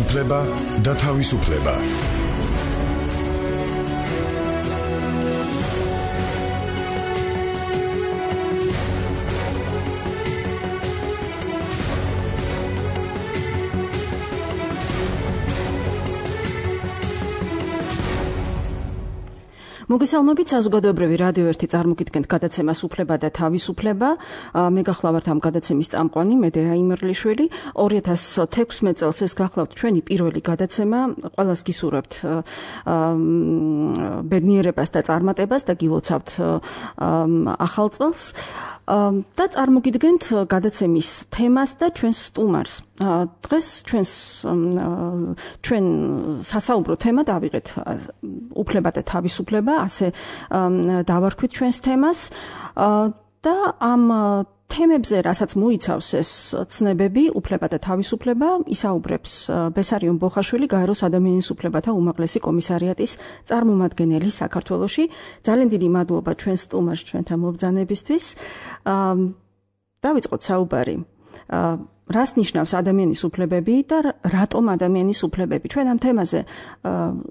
უფლება და თავისუფლება. მოგესალმებით, საზოგადოებრივი რადიო 1 წარმოგიდგენთ გადაცემას უფლება და თავისუფლება. მე გახლავართ ამ გადაცემის წამყვანი, მე დეა იმერლიშვილი. 2016 წელს ეს გახლავთ ჩვენი პირველი გადაცემა. ყველას გისურვებთ ბედნიერებას და წარმატებას და გილოცავთ ახალ წელს. და წარმოგიდგენთ გადაცემის თემას და ჩვენს სტუმარს. დღეს ჩვენ სასაუბრო თემა დავიღეთ უფლება და თავისუფლება, ასე დავარქვით ჩვენს თემას და ამ თემებზე, რასაც მოიცავს ეს ცნებები, უფლება და თავისუფლება, ისაუბრებს ბესარიონ ბოხაშვილი, გაეროს ადამიანის უფლებათა უმაღლესი კომისარიატის წარმომადგენელი საქართველოში. ძალიან დიდი მადლობა ჩვენ სტუმარს ჩვენთან მობრძანებისთვის. დავიწყოთ საუბარი. რას ნიშნავს ადამიანის უფლებები და რატომ ადამიანის უფლებები? ჩვენ ამ თემაზე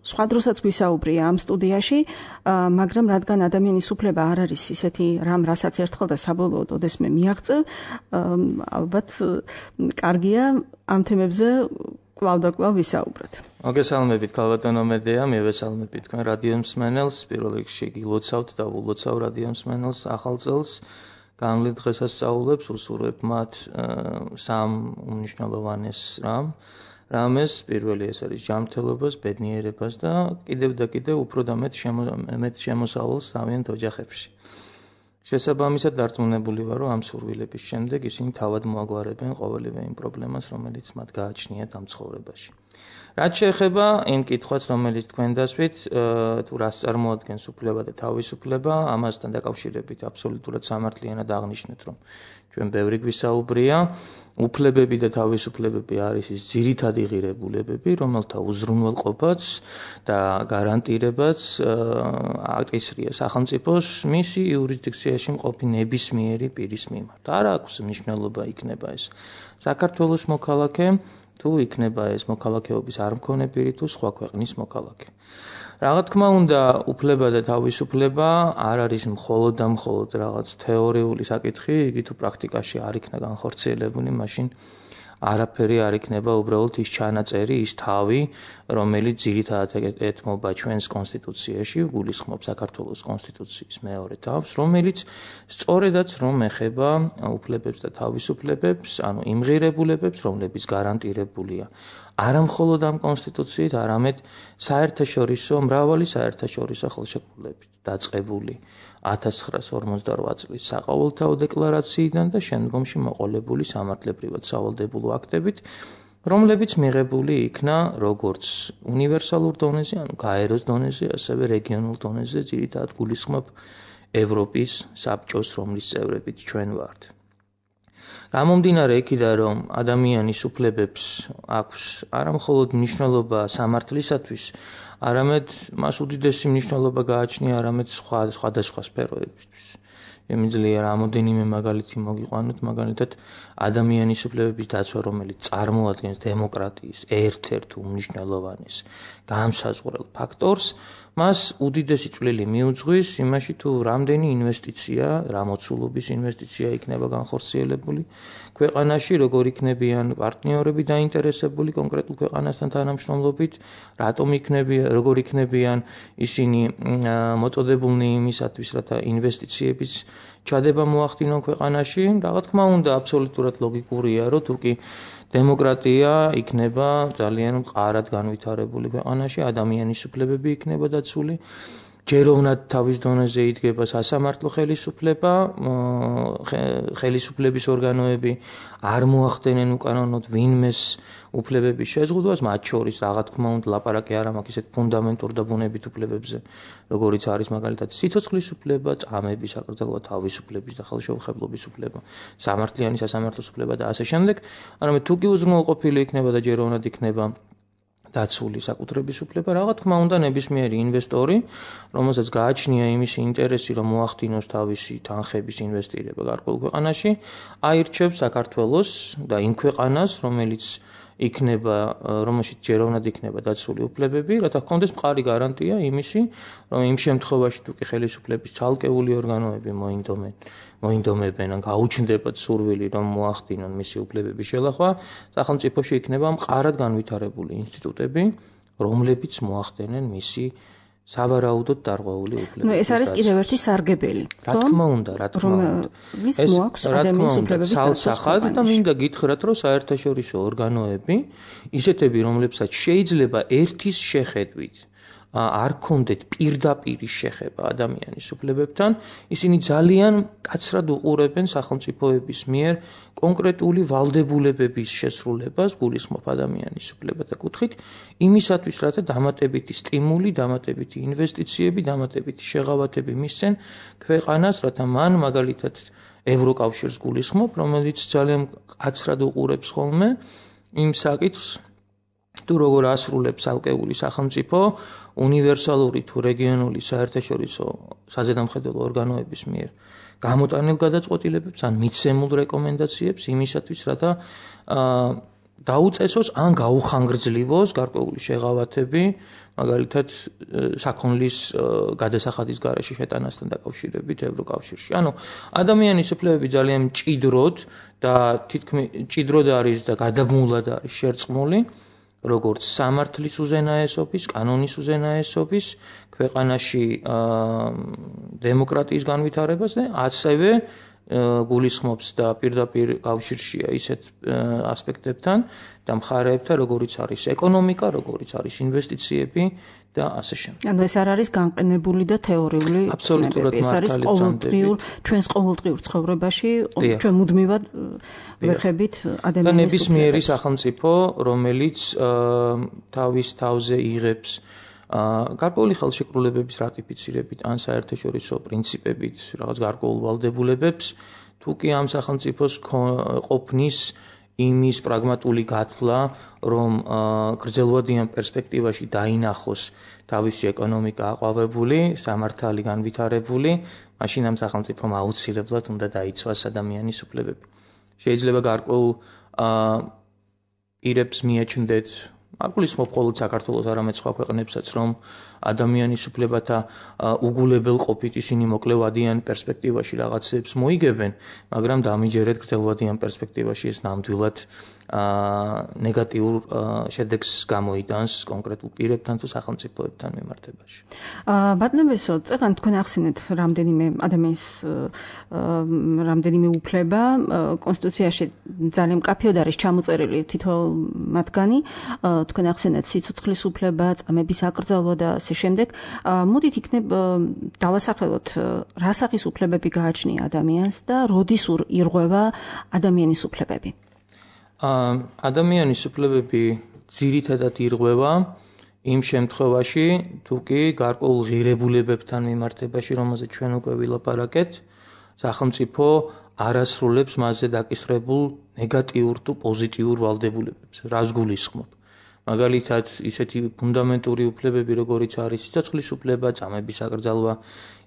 სხვა დროსაც გვისაუბრია ამ სტუდიაში, მაგრამ რადგან ადამიანის უფლება არ არის ისეთი რამ, რასაც ერთხელ და საბოლოოდ ოდესმე მიაღწევ, ალბათ კარგია ამ თემებზე კვლავ და კვლავ ვისაუბროთ. მოგესალმებით, ქალბატონო მედეა, მივესალმებით თქვენ რადიო მსმენელს, პირველ რიგში გილოცავთ და ულოცავ რადიო მსმენელს ახალ წელს. განვლით დღესასწაულებს უსურვებ მათ სამ უმნიშვნელოვანეს რამეს. პირველი ეს არის ჯანმრთელობას, ბედნიერებას და კიდევ უფრო და მეტ შემოსავალს თავიანთ ოჯახებში. შესაბამისად დარწმუნებული ვარ, რომ ამ სურვილების შემდეგ ისინი თავად მოაგვარებენ ყოველივე იმ პრობლემას, რომელიც მათ გააჩნიათ ამ ცხოვრებაში. რაც შეეხება იმ კითხვას, რომელიც თქვენ დასვით, თუ რას წარმოადგენს უფლება და თავისუფლება, ამასთან დაკავშირებით აბსოლუტურად სამართლიანად აღნიშნეთ, რომ ჩვენ ბევრი გვისაუბრია, უფლებები და თავისუფლებები არის ის ძირითადი ღირებულებები, რომელთა უზრუნველყოფაც და გარანტირებაც აკისრია სახელმწიფოს მისი იურისდიქციაში მყოფი ნებისმიერი პირის მიმართ. არ აქვს მნიშვნელობა იქნება ეს საქართველოს მოქალაქე, თუ იქნება ეს მოქალაქეობის არ მქონე პირი თუ სხვა ქვეყნის მოქალაქე. Რაღაც თქმა უნდა, უფლება და თავისუფლება არ არის მხოლოდ და მხოლოდ რაღაც თეორიული საკითხი, იგი თუ პრაქტიკაში არ იქნა განხორციელებული, მაშინ არაფერი არ იქნება უბრალოდ ის ჩანაწერი, ის თავი, რომელიც ძირითადად ეთმობა ჩვენს კონსტიტუციაში, გულისხმობს საქართველოს კონსტიტუციის მეორე თავს, რომელიც სწორედაც რომ ეხება უფლებებს და თავისუფლებებს, ანუ იმ ღირებულებებს, რომლებიც გარანტირებულია არა მხოლოდ ამ კონსტიტუციით, არამედ მრავალი საერთაშორისო ხელშეკრულებით დაწყებული 1948 წლის საყოველთაო დეკლარაციიდან და შემდგომში მოყოლებული სამართლებრივად სავალდებულო აქტებით, რომლებიც მიღებული იქნა როგორც უნივერსალურ დონეზე, ანუ გაეროს დონეზე, ასევე რეგიონულ დონეზე, ძირითადად გულისხმობ ევროპის საბჭოს, რომლის წევრებით ჩვენ ვართ. გამომდინარე იქიდან, რომ ადამიანის უფლებებს აქვს არა მხოლოდ მნიშვნელობა სამართლისათვის, არამედ მას უდიდესი მნიშვნელობა გააჩნია არამედ სხვადასხვა სფეროებისთვის. Შემიძლია რამოდენიმე მაგალითი მოგიყვანოთ, მაგალითად ადამიანის უფლებების დაცვა, რომელიც წარმოადგენს დემოკრატიის ერთ-ერთ უმნიშვნელოვანეს განსაზღვრელ ფაქტორს, მას უდიდესი წვლილი მიუძღვის იმაში, თუ რამდენი ინვესტიცია, რამოცულობის ინვესტიცია იქნება განხორციელებული ქვეყანაში, როგორ იქნებიან პარტნიორები დაინტერესებული კონკრეტულ ქვეყანასთან თანამშრომლობით, როგორ იქნებიან ისინი მოწოდებულნი იმისათვის, რათა ინვესტიციების ჩადება მოახდინონ ქვეყანაში. Რაღაც თქმა უნდა, აბსოლუტურად ლოგიკურია, რომ თუკი დემოკრატია იქნება ძალიან მყარად განვითარებული ქვეყანაში, ადამიანის უფლებები იქნება დაცული, ჯეროვნად თავის დონეზე იდგება სასამართლო ხელისუფლება, ხელისუფლების ორგანოები არ მოახდენენ უკანონოდ ვინმეს უფლებების შეზღუდვას, მათ შორის რაღაც თქმა უნდა ლაპარაკი არ მაქვს ისეთ ფუნდამენტურ და ბუნებით უფლებებზე, როგორიც არის მაგალითად სიცოცხლის უფლება, წამების, აკრძალვა თავისუფლების და ხელშეუხებლობის უფლება, სამართლიანი სასამართლოს უფლება და ასე შემდეგ. არამედ თუ კი უზრუნველყოფილი იქნება და ჯეროვნად იქნება დაცული საკუთრების უფლება, რაღაც თქმა უნდა ნებისმიერი ინვესტორი, რომელსაც გააჩნია იმისი ინტერესი, რომ მოახდინოს თავისი თანხების ინვესტირება გარკვეულ ქვეყანაში, აირჩევს საქართველოს და იმ ქვეყანას, რომელიც იქნება, რომელშიც ჯეროვნად იქნება დაცული უფლებები, რათა ჰქონდეს მყარი გარანტია იმისი, რომ იმ შემთხვევაში თუ კი ხელისუფლების ცალკეული ორგანოები მოინდომებენ ან გაუჩნდებათ სურვილი, რომ მოახდინონ მისი უფლებების შელახვა, სახელმწიფოში იქნება მყარად განვითარებული ინსტიტუტები, რომლებიც მოახდენენ მისი სავარაუდოდ დარღვეული უფლებების. ეს არის კიდევ ერთი სარგებელი. რა თქმა უნდა. ვის მოაქვს ადამიანის უფლებების დასახად და მინდა გითხრათ, რომ საერთაშორისო ორგანოები, ისეთები, რომლებსაც შეიძლება ერთის შეხედვით არ ქონდეთ პირდაპირი შეხება ადამიანის უფლებებთან, ისინი ძალიან კაცრად უყურებენ სახელმწიფოების მიერ კონკრეტული ვალდებულებების შესრულებას, გულისხმობ ადამიანის უფლებათა კუთხით, იმისათვის, რათა დამატებითი სტიმული, დამატებითი ინვესტიციები, დამატებითი შეღავათები მისცენ ქვეყანას, რათა მან მაგალითად ევროკავშირს გულისხმობ, რომელიც ძალიან კაცრად უყურებს ხოლმე იმ საკითხს, თუ როგორ ასრულებს ალკეული სახელმწიფო უნივერსალური თუ რეგიონული საერთაშორისო საზედამხედველო ორგანოების მიერ გამოტანილ გადაწყვეტილებებს ან მიცემულ რეკომენდაციებს იმისათვის, რათა დაუწესოს ან გაუხანგრძლივოს გარკვეული შეღავათები, მაგალითად საქონლის გადასახადის გარეშე შეტანასთან დაკავშირებით ევროკავშირში. ანუ ადამიანის უფლებები ძალიან მჭიდროდ და თითქმის მჭიდროდ არის და გადამულად არის შერწყმული როგორც სამართლის უზენაესობის, კანონის უზენაესობის, ქვეყანაში დემოკრატიის განვითარებაზე, ასევე გულისხმობს და პირდაპირ კავშირშია ისეთ ასპექტებთან და მხარეებთან, როგორიც არის ეკონომიკა, როგორიც არის ინვესტიციები და ასე შემდეგ. ანუ ეს არ არის განყენებული და თეორიული აბსოლუტურად ეს არის ჩვენს ყოველდღიურ ცხოვრებაში, ჩვენ მუდმივად ვეხებით ადამიანის და ნებისმიერი სახელმწიფო, რომელიც თავის თავზე იღებს გარკვეული ხელშეკრულებების რატიფიცირებით ან საერთაშორისო პრინციპებით რაღაც გარკვეულ ვალდებულებებს, თუ კი ამ სახელმწიფოს ყოფნის იმის პრაგმატული გათვლა, რომ გრძელვადიან პერსპექტივაში დაინახოს თავისი ეკონომიკა აყვავებული, სამართალი განვითარებული, მაშინ ამ სახელმწიფომ აუცილებლად უნდა დაიცვას ადამიანის უფლებები. შეიძლება გარკვეულ პირებს მიაჩნდეთ, არ გულისხმობ მხოლოდ საქართველოს, არამედ სხვა ქვეყნებსაც, რომ ადამიანის უფლებათა უგულებელ ყოფით ისინი მოკლევადიან პერსპექტივაში რაღაცებს მოიგებენ, მაგრამ დამიჯერეთ გრძელვადიან პერსპექტივაში ეს ნამდვილად ნეგატიურ შედეგს გამოიტანს კონკრეტულ პირებთან თუ სახელმწიფოებთან მიმართებაში. ბატონო ბესო, წეგან თქვენ ახსენეთ რამდენიმე ადამიანის რამდენიმე უფლება კონსტიტუციაში ძალიან მკაფიოდ არის ჩამოწერილი თითოეულ მათგანი. თქვენ ახსენეთ სიცოცხლის უფლება, წამების აკრძალვა და ასე შემდეგ. მოდით იქნებ დავასახელოთ რა სახის უფლებები გააჩნია ადამიანს და როდის ირღვევა ადამიანის უფლებები. ადამიანის უფლებები ძირითადად ირღვევა იმ შემთხვევაში, თუ კი გარკვეულ ღირებულებებთან მიმართებაში, რომელზეც ჩვენ უკვე ვილაპარაკეთ, სახელმწიფო არ ასრულებს მასზე დაკისრებულ ნეგატიურ თუ პოზიტიურ ვალდებულებებს. რას გულისხმობ? მაგალითად, ისეთი ფუნდამენტური უფლებები, როგორიც არის სიცოცხლის უფლება, წამების აკრძალვა,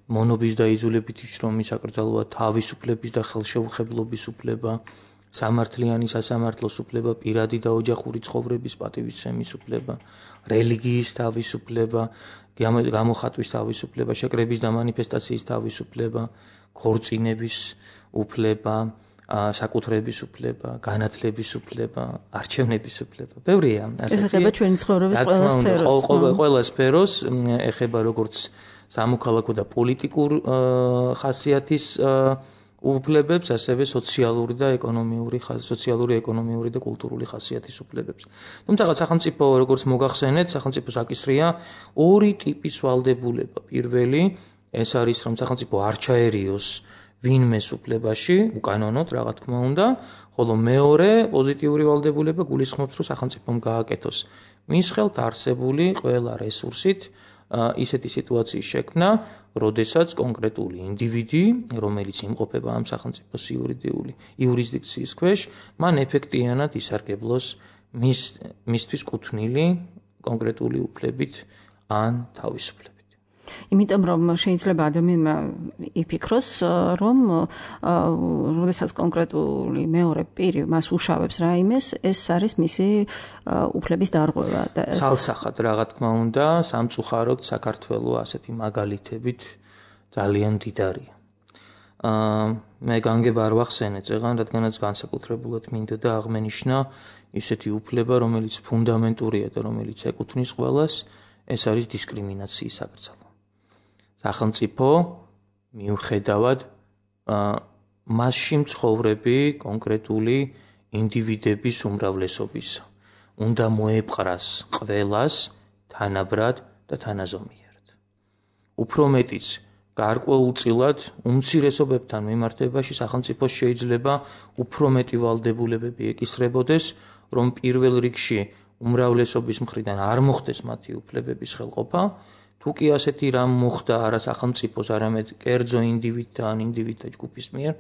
მონობის და იძულებითი შრომის აკრძალვა, თავისუფლების და ხელშეუხებლობის უფლება, სამართლიანი სასამართლოს უფლება, პირადი და ოჯახური ცხოვრების პატივისცემის უფლება, რელიგიის თავისუფლება, გამოხატვის თავისუფლება, შეკრების და მანიფესტაციის თავისუფლება, ქორწინების უფლება, საკუთრების უფლება, განათლების უფლება, არჩევნების უფლება. ბევრია ასეთი. ეს ეხება ჩვენი ცხოვრების ყველა სფეროს. ყველა სფეროს ეხება როგორც სამოქალაქო და პოლიტიკურ ხასიათის უფლებებს, ასევე სოციალური, ეკონომიური და კულტურული ხასიათის უფლებებს. თუმცა სახელმწიფო, როგორც მოგახსენეთ, სახელმწიფოს აკისრია ორი ტიპის ვალდებულება. პირველი, ეს არის, რომ სახელმწიფო არ ჩაერიოს ვინმეს უფლებაში, უკანონოდ, რა თქმა უნდა, ხოლო მეორე პოზიტიური ვალდებულება გულისხმობს, რომ სახელმწიფომ გააკეთოს მის ხელთ არსებული ყველა რესურსით ისეთი სიტუაციის შექმნა, როდესაც კონკრეტული ინდივიდი, რომელიც იმყოფება ამ სახელმწიფოს იურისდიქციის ქვეშ, მან ეფექტიანად ისარგებლოს მისთვის კუთვნილი კონკრეტული უფლებით ან თავისუფლებით. იმიტომ რომ შეიძლება ადამიანმა იფიქროს, რომ როდესაც კონკრეტული მეორე პირი მას უშავებს რაიმეს, ეს არის მისი უფლების დარღვევა. ცალსახად რა თქმა უნდა, სამწუხაროდ საქართველოს ასეთი მაგალითებით ძალიან მდიდარია. მე განგება არ ვახსენე წეღან, რადგანაც განსაკუთრებულად მინდოდა აღმენიშნა ისეთი უფლება, რომელიც ფუნდამენტურია და რომელიც ეკუთვნის ყველას, ეს არის დისკრიმინაციის საკრძალვა. სახელმწიფო მიუხედავად მასში მცხოვრები კონკრეტული ინდივიდების უმრავლესობისა უნდა მოეპყრას ყველას თანაბრად და თანაზომიერად. უფრო მეტიც, გარკვეულწილად უმცირესობებთან მიმართებაში სახელმწიფოს შეიძლება უფრო მეტი ვალდებულებები ეკისრებოდეს, რომ პირველ რიგში უმრავლესობის მხრიდან არ მოხდეს მათი უფლებების ხელყოფა, თუ კი ასეთი რამ მოხდა არა სახელმწიფოს, არამედ კერძო ინდივიდთა ან ინდივიდთა ჯგუფის მიერ,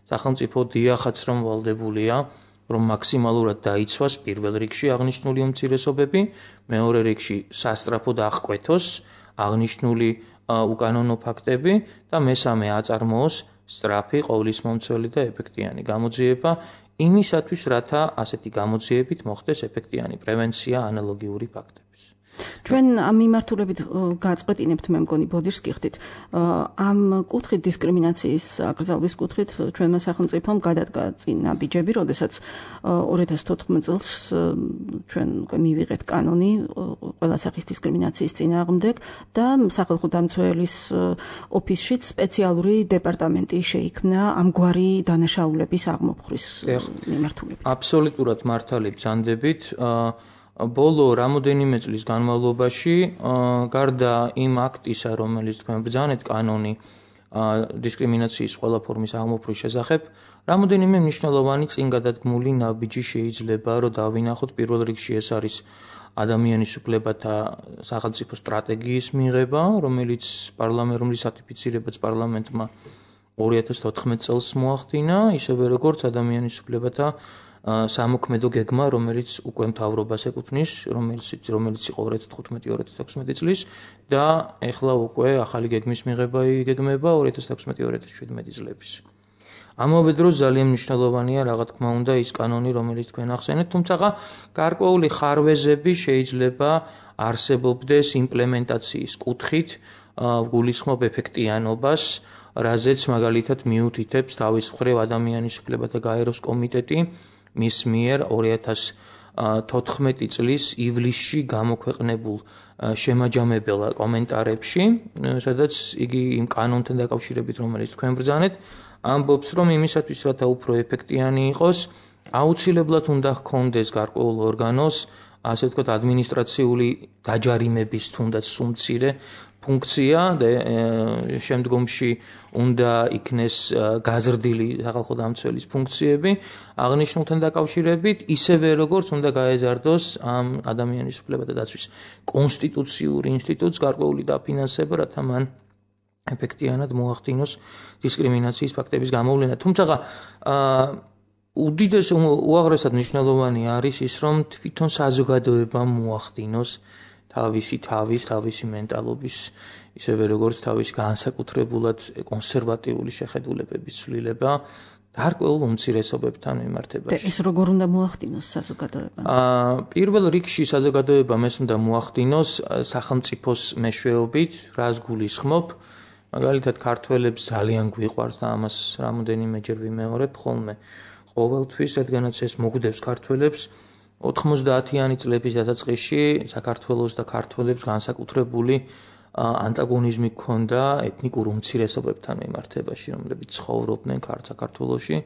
სახელმწიფო დიახაც რომ ვალდებულია, რომ მაქსიმალურად დაიცვას პირველ რიგში აღნიშნული უმცირესობები, მეორე რიგში სასწრაფოდ აღკვეთოს აღნიშნული უკანონო ფაქტები და მესამე აწარმოოს სწრაფი, ყოვლისმომცველი და ეფექტიანი გამოძიება იმისათვის, რათა ასეთი გამოძიებით მოხდეს ეფექტიანი პრევენცია ანალოგიური ფაქტების. ჩვენ ამ მიმართულებით გაწყვეტინებთ, მე მგონი ბოდიშს გიხდით. ამ კუთხით დისკრიმინაციის აკრძალვის კუთხით ჩვენმა სახელმწიფომ გადადგა წინა ბიჯები, როდესაც 2014 წელს ჩვენ მივიღეთ კანონი ყველა სახის დისკრიმინაციის წინააღმდეგ და სახალხო დამცველის ოფისშიც სპეციალური დეპარტამენტი შეიქმნა ამგვარი დანაშაულების აღმოფხრის მიმართულებით. აბსოლუტურად მართალი ბრძანდებით. ბოლო რამოდენიმე წლის განმავლობაში, გარდა იმ აქტისა, რომელიც თქვენ ბრძანეთ კანონი დისკრიმინაციის ყველა ფორმის აღმოფხრის შესახებ, რამოდენიმე მნიშვნელოვანი წინ გადადგმული ნაბიჯი შეიძლება, რომ დავინახოთ. პირველ რიგში ეს არის ადამიანის უფლებათა სახელმწიფო სტრატეგიის მიღება, რომელიც რატიფიცირებაც პარლამენტმა 2014 წელს მოახდინა, ისევე როგორც ადამიანის უფლებათა სამოქმედო გეგმა, რომელიც უკვე მთავრობას ეკუთვნის, რომელიც იყო 2015-2016 წლის და ეხლა უკვე ახალი გეგმის მიღება იგეგმება 2016-2017 წლების. ამავე დროს ძალიან მნიშვნელოვანია რა თქმა უნდა ის კანონი, რომელიც თქვენ ახსენეთ, თუმცა გარკვეული ხარვეზები შეიძლება არსებობდეს იმპლემენტაციის კუთხით, გულისხმობ ეფექტიანობას, რაზეც მაგალითად მიუთითებს თავის მხრივ ადამიანის უფლებათა გაეროს კომიტეტი მის მიერ 2014 წლის ივლისში გამოქვეყნებულ შემაჯამებელ კომენტარებში, სადაც იგი იმ კანონთან დაკავშირებით, რომელიც თქვენ ბრძანეთ, ამბობს, რომ იმისათვის, რათა უფრო ეფექტიანი იყოს, აუცილებლად უნდა ჰქონდეს გარკვეულ ორგანოს, ასე ვთქვათ, ადმინისტრაციული დაჯარიმების თუნდაც სუმცირე ფუნქცია და შემდგომში უნდა იქნეს გაზრდილი სახალხო დამცველის ფუნქციები აღნიშნულთან დაკავშირებით, ისევე როგორც უნდა გაეზარდოს ამ ადამიანის უფლებათა დაცვის კონსტიტუციური ინსტიტუტს გარკვეული დაფინანსება, რათა მან ეფექტიანად მოახდინოს დისკრიმინაციის ფაქტების გამოვლენა. თუმცა უდიდეს უაღრესად მნიშვნელოვანი არის ის, რომ თვითონ საზოგადოებამ მოახდინოს თავისი მენტალობის, ისევე როგორც თავის განსაკუთრებულად კონსერვატიული შეხედულებების ცვლილება გარკვეულ უმცირესობებთან მიმართებაში. და ეს როგორ უნდა მოახდინოს საზოგადოებამ? პირველ რიგში საზოგადოებამ ეს უნდა მოახდინოს სახელმწიფოს მეშვეობით, რას გულისხმობ. მაგალითად, ქართველებს ძალიან გვიყვარს და ამას რამოდენიმეჯერ ვიმეორებ ხოლმე ყოველთვის, რადგანაც ეს მოგდებს ქართველებს 90-იანი წლების დასაწყისში საქართველოს და ქართველებს განსაკუთრებული ანტაგონიზმი ჰქონდა ეთნიკურ უმცირესობებთან მიმართებაში, რომლებიც ცხოვრობდნენ საქართველოში.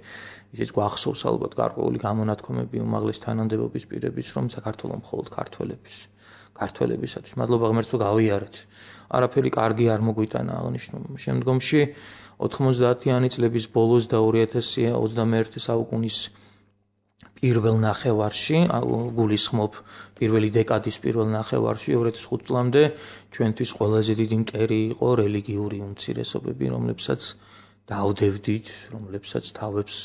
ისიც გვახსოვს ალბათ გარკვეული გამონათქვამები უმაღლეს თანამდებობის პირების, რომ საქართველოს მხოლოდ ქართველებისათვის. მადლობა ღმერთს, რომ გავიარეთ. არაფერი კარგი არ მოგვიტანა აღნიშნულ შემდგომში 90-იანი წლების ბოლოს და 2021 საუკუნის პირველ ნახევარში, გულისხმობ პირველი დეკადის პირველ ნახევარში 2005 წლამდე ჩვენთვის ყველაზე დიდი მტერი იყო რელიგიური უმცირესობები, რომლებსაც დავდევდით, რომლებსაც თავებს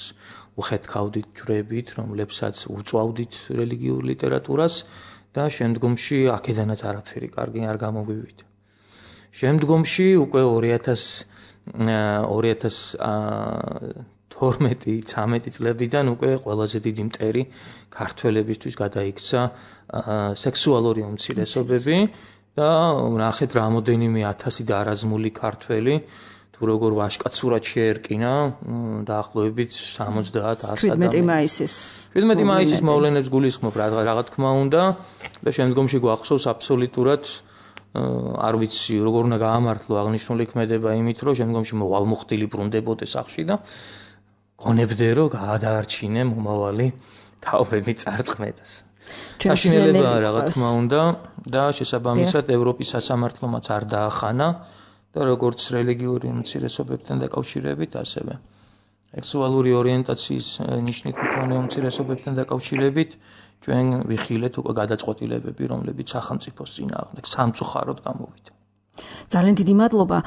უხეთქავდით ჯვრებით, რომლებსაც უწვავდით რელიგიურ ლიტერატურას და შემდგომში აქედანაც არაფერი კარგი არ გამოგვივიდა. შემდგომში უკვე 2012-13 წლებიდან უკვე ყველაზე დიდი მტერი ქართველებისთვის გადაიქცა სექსუალური უმცირესობები და ნახეთ რამდენიმე ათასი დაარაზმული ქართველი თუ როგორ ვაშკაც სურათ შეერკინა დაახლოებით 70-100 მაისის 17 მაისის მოვლენებს გულისხმობ რა თქმა უნდა და შემდგომში გვახსოვს აბსოლუტურად არ ვიცი როგორ უნდა გაამართლო აღნიშნული ქმედება იმით რომ შემდგომში მოვალმოხდილი ბრუნდებოდეს სახში და გონებდე რომ გაადარჩინე მომავალი თაობები წარწმედას საშინელება რა თქმა უნდა და შესაბამისად ევროპის სასამართლომაც არ დაახანა და როგორც რელიგიური უმცირესობებთან დაკავშირებით ასევე სექსუალური ორიენტაციის ნიშნით მქონე უმცირესობებთან დაკავშირებით ჩვენ ვიხილეთ უკვე გადაწყვეტილებები რომლებიც სახელმწიფოს წინააღმდეგ სამწუხაროდ გამოვიდა ძალიან დიდი მადლობა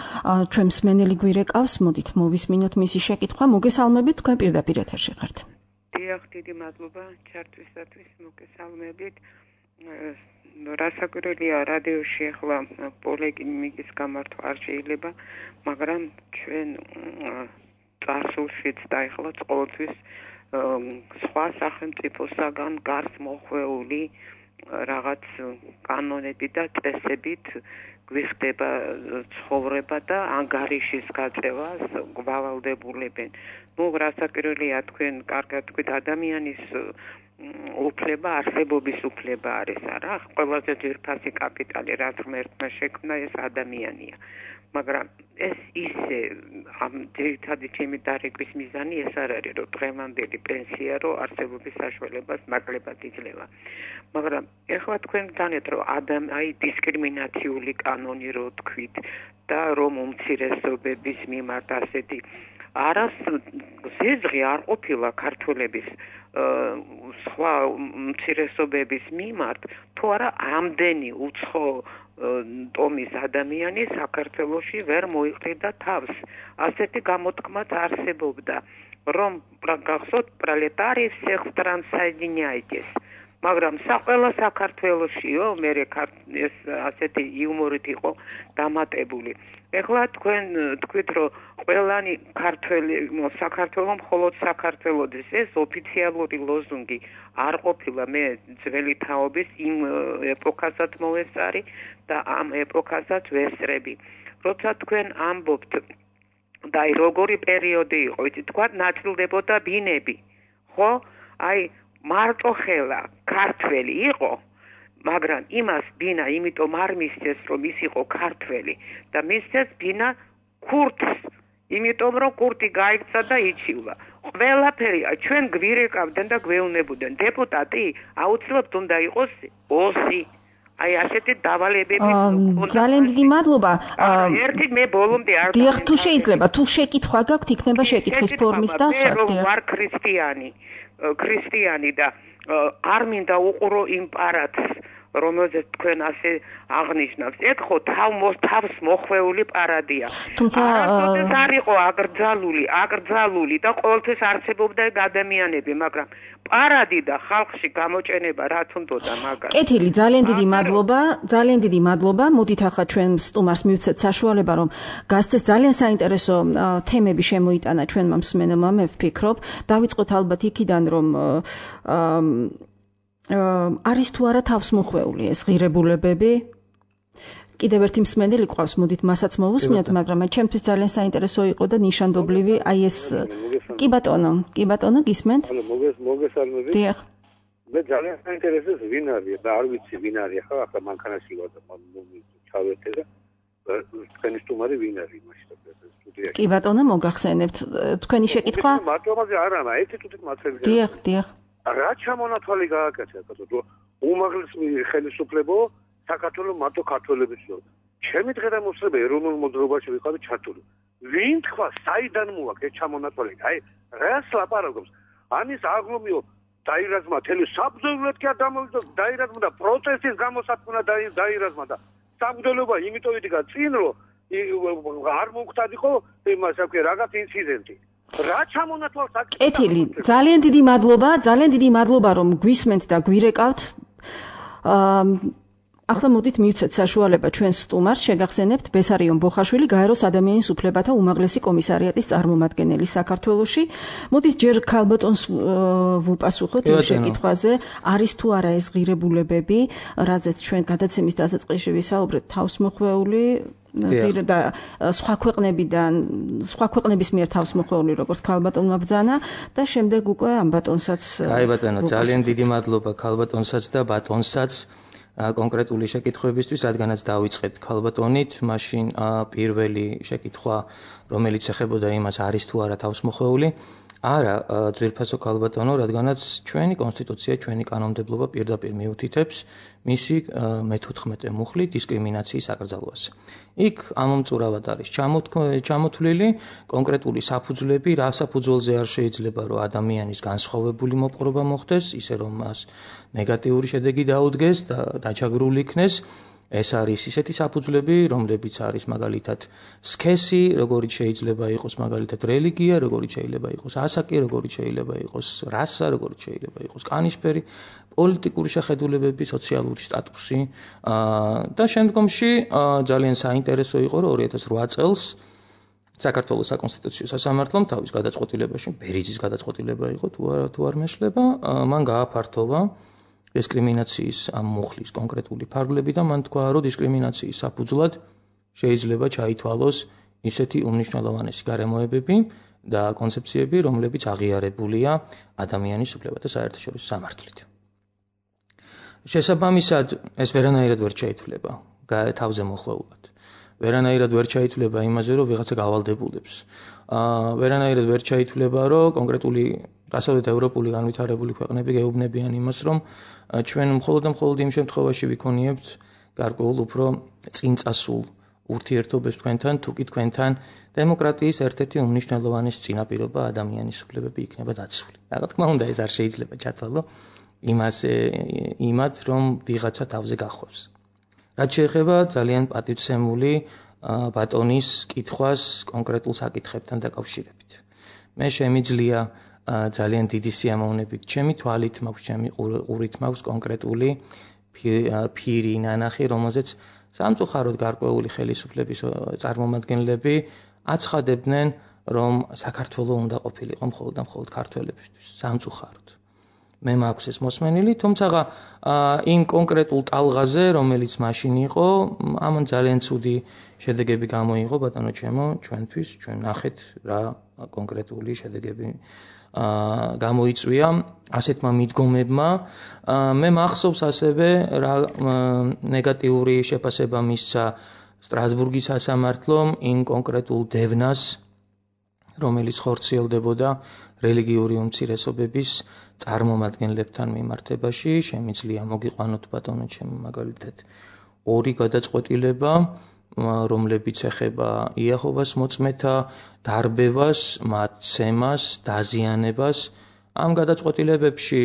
ჩვენ მსმენელი გვირეკავს მოდით მოვისმინოთ მისი შეკითხვა მოგესალმებით თქვენ პირდაპირ ეთერში ხართ დიახ დიდი მადლობა ჩართვისათვის მოგესალმებით რასაკვირველია რადიოში ახლა პოლემიკის გამართვა არ შეიძლება მაგრამ ჩვენ წარსულშიც და ახლა ყოველთვის სხვა სახელმწიფოსაგან გარს მოხვეული რაღაც კანონები და წესებით გვიხდება ცხოვრება და ანგარიშის გაწევას გვალავდებულებენ. რასაკვირველია თქვენ კარგად თქვით ადამიანის უფლება არსებობის უფლება არის არა? ყველაზე ძვირფასი კაპიტალი რაც ღმერთმა შექმნა ეს ადამიანია. მაგრამ ეს ისე ამ ძირითადი ჩემი დარეკვის მიზანი ეს არ არის რომ დღევანდელი პენსია რომ არსებობის საშუალებას ნაკლებად იძლევა. მაგრამ ეხლა თქვენ განეთ რომ აი დისკრიმინაციული კანონი რო თქვით და რომ უმცირესობების მიმართ ასეთი არას ზეზღი არ ყოფილა ქართველების სხვა უმცირესობების მიმართ თუ არა ამდენი უცხო ტომის ადამიანი საქართველოში ვერ მოიყრიდა თავს. ასეთი გამოთქმაც არსებობდა, რომ გახსოვთ პროლეტარии всех стран соединяйтесь. მაგრამ ყველა საქართველოშიო მე ეს ასეთი იუმორით იყო დამატებული. ეხლა თქვენ თქვით რომ ყველანი ქართველი საქართველოს მხოლოდ საქართველოს ეს ოფიციალური ლოზუნგი არ ყოფილა მე ძველი თაობის იმ ეპოქასაც მოვესწარი და ამ ეპოქასაც ვესწრები. როცა თქვენ ამბობთ და აი როგორი პერიოდი იყო იცით თქვა ნაწილდებოდა ბინები ხო აი მარტო ხელა ქართველი იყო მაგრამ იმას ბინა იმიტომ არ მისცეს რომ ის იყო ქართველი და მისცეს ბინა ქურთს იმიტომ რომ ქურთი გაიქცა და იჩივლა ყველაფერი ჩვენ გვირეკავდნენ და გვეუბნებოდნენ დეპუტატი აუცილებლად უნდა იყოს ოსი აი ასეთი დავალებები ძალიან დიდი მადლობა ერთი მე ბოლომდე არ დიახ თუ შეიძლება თუ შეკითხვა გაქვთ იქნება შეკითხვის ფორმით და სხვა ვარ ქრისტიანი და არ მინდა უყურო იმ პარადს რომელზეც თქვენ ასე აღნიშნავს ეგ ხო თავს მოხვეული პარადია თუმცა არ იყო აკრძალული და ყოველთვის არცებობდა ადამიანები მაგრამ პარადი და ხალხში გამოჭენება რაც უნდოდა მაგას კეთილი ძალიან დიდი მადლობა მოდით ახლა ჩვენ სტუმარს მივცეთ საშუალება რომ გასცეს ძალიან საინტერესო თემები შემოიტანა ჩვენმა მსმენელმა მე ვფიქრობ დავიწყოთ ალბათ იქიდან რომ არის თუ არა თავს მოხვეული ეს ღირებულებები კიდევ ერთი მსმენელი ყავს მოდით მასაც მოვუსმინოთ მაგრამ ჩემთვის ძალიან საინტერესო იყო და ნიშანდობლივი აი ეს კი ბატონო გისმენთ მოგესალმებით დიახ მე ძალიან საინტერესოს ვინ არის და არ ვიცი ვინ არის ახლა მანქანაში ვარ და ჩავერთე და თქვენი სტუმარი ვინ არის მაშინ სტუდიაში კი ბატონო მოგახსენებთ თქვენი შეკითხვა მარტოამაზე არა ერთი თუთით მაცელი დიახ რა ჩამონათვალი გააკეთა რომ უმაღლესი ხელისუფლებო საქართველოს მარტო ქართველებიც ნო ჩემი დღე-და-მოსრება ეროვნულ მოძრაობაში ვიყავი ჩართული ვინ თქვა საიდან მოაქვს ეს ჩამონათვალი აი რას ლაპარაკობს ამის აღლომიო დაირაზმა თელი საბრძოლოდ კი არ დამოვიდა დაირაზმა და პროტესტის გამოსათქმნა დაირაზმა და საბრძოლოება იმიტომ იდგა წინ რომ არ მოხდადიყო იმას აქვს რაღაც ინციდენტი რა ჩამონათვალს აქ კეთილი ძალიან დიდი მადლობა რომ გვისმენთ და გვირეკავთ ახლა მოდით მივცეთ საშუალება ჩვენს სტუმარს შეგახსენებთ ბესარიონ ბოხაშვილი გაეროს ადამიანის უფლებათა უმაღლესი კომისარიატის წარმომადგენელი საქართველოში. მოდით ჯერ ქალბატონს ვუპასუხოთ იმ შეკითხვაზე, არის თუ არა ეს ღირებულებები, რაზეც ჩვენ გადაცემის დასაწყისში ვისაუბრეთ, თავსმოხვეული და სხვა ქვეყნების მიერ თავსმოხვეული როგორც ქალბატონმა ბრძანა და შემდეგ უკვე ამ ბატონსაც აი ბატონო, ძალიან დიდი მადლობა ქალბატონსაც და ბატონსაც კონკრეტული შეკითხვებისთვის, რადგანაც დავიწყეთ ქალბატონით, მაშინ პირველი შეკითხვა, რომელიც ეხებოდა იმას, არის თუ არა თავსმოხვეული, არა, ძვირფასო ქალბატონო, რადგანაც ჩვენი კონსტიტუცია, ჩვენი კანონმდებლობა პირდაპირ მიუთითებს მისი მე-14 მუხლი დისკრიმინაციის აკრძალვას. იქ ამომწურავად არის ჩამოთვლილი კონკრეტული საფუძვლები, რა საფუძველზე არ შეიძლება, რომ ადამიანის განსხვავებული მოპყრობა მოხდეს, ისე რომ მას ნეგატიური შედეგი დაუდგეს და დაჩაგრული იქნეს. ეს არის ისეთი საფუძვლები, რომლებიც არის მაგალითად სქესი, როგორიც შეიძლება იყოს მაგალითად რელიგია, როგორიც შეიძლება იყოს ასაკი, როგორიც შეიძლება იყოს რასა, როგორიც შეიძლება იყოს კანის ფერი, პოლიტიკური შეხედულებები, სოციალური სტატუსი და შემდგომში ძალიან საინტერესო იყო, რომ 2008 წელს საქართველოს საკონსტიტუციო სასამართლომ თავის გადაწყვეტილებაში, ბერიძის გადაწყვეტილება იყო, თუ არ მეშლება, მან გააფართოვა დისკრიმინაციის ამ მუხლის კონკრეტული ფარგლები და მან თქვა, რომ დისკრიმინაციის საფუძვლად შეიძლება ჩაითვალოს ისეთი უმნიშვნელოვანესი გარემოებები და კონცეფციები, რომლებიც აღიარებულია ადამიანის უფლებათა საერთაშორისო სამართლით. შესაბამისად, ეს ვერანაირად ვერ შეითვლება თავზე მოხვეულად. ვერანაირად ვერ შეითვლება იმაზე, რომ ვიღაცა გავალდებულებს. ვერანაირად ვერ შეითვლება, რომ კონკრეტული დასავლეთ ევროპული განვითარებული ქვეყნები გეუბნებიან იმას, რომ ჩვენ მხოლოდ იმ შემთხვევაში ვიქონიებთ გარკვეულ უფრო წინწასულ ურთიერთობებს თქვენთან, თუ კი თქვენთან დემოკრატიის ერთ-ერთი უმნიშვნელოვანესი წინაპირობა ადამიანის უფლებები იქნება დაცული. რა თქმა უნდა, ეს არ შეიძლება ჩათვალო იმათ, რომ ვიღაცა თავზე გახვევს. რაც შეეხება ძალიან პატივცემული ბატონის კითხვას კონკრეტულ საკითხებთან დაკავშირებით. მე შემიძლია ძალიან დიდი სიამოვნებით ჩემი თვალით მაქვს, ჩემი ყურით მაქვს კონკრეტული ფირი ნანახი, რომელზეც სამწუხაროდ გარკვეული ხელისუფლების წარმომადგენლები აცხადებდნენ, რომ საქართველო უნდა ყოფილიყო მხოლოდ ქართველებისთვის. სამწუხაროდ. მე მაქვს ეს მოსმენილი, თუმცა იმ კონკრეტულ ტალღაზე, რომელიც მაშინ იყო, ამან ძალიან ცუდი შედეგები გამოიღო, ბატონო ჩემო, ჩვენთვის, ჩვენ ნახეთ რა კონკრეტული შედეგები გამოიწვია ასეთმა მიდგომებმა. მე მახსოვს ასევე რა ნეგატიური შეფასება მისცა სტრასბურგის სასამართლომ იმ კონკრეტულ დევნას, რომელიც ხორციელდებოდა რელიგიური უმცირესობების წარმომადგენლებთან მიმართებაში. შემიძლია მოგიყვანოთ ბატონო ჩემო მაგალითად ორი გადაწყვეტილება, რომლებიც ეხება იაჰოვას მოწმეთა დარბევას, მათ ცემას, დაზიანებას. ამ გადაწყვეტილებებში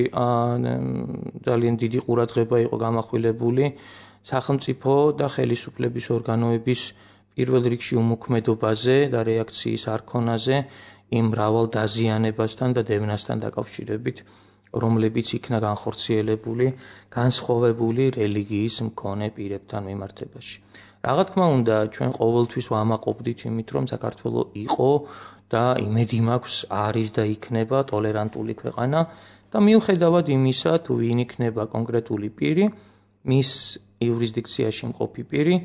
ძალიან დიდი ყურადღება იყო გამახვილებული სახელმწიფო და ხელისუფლების ორგანოების პირველ რიგში უმოქმედობაზე და რეაქციის არ ქონაზე იმ მრავალ დაზიანებასთან და დევნასთან დაკავშირებით, რომლებიც იქნა განხორციელებული განსხვავებული რელიგიის მქონე პირებთან მიმართებაში. რა თქმა უნდა, ჩვენ ყოველთვის ვამაყობდით იმით, რომ საქართველო იყო და იმედი მაქვს არის და იქნება ტოლერანტული ქვეყანა და მიუხედავად იმისა, თუ ვინ იქნება კონკრეტული პირი, მის იურისდიქციაში მყოფი პირი,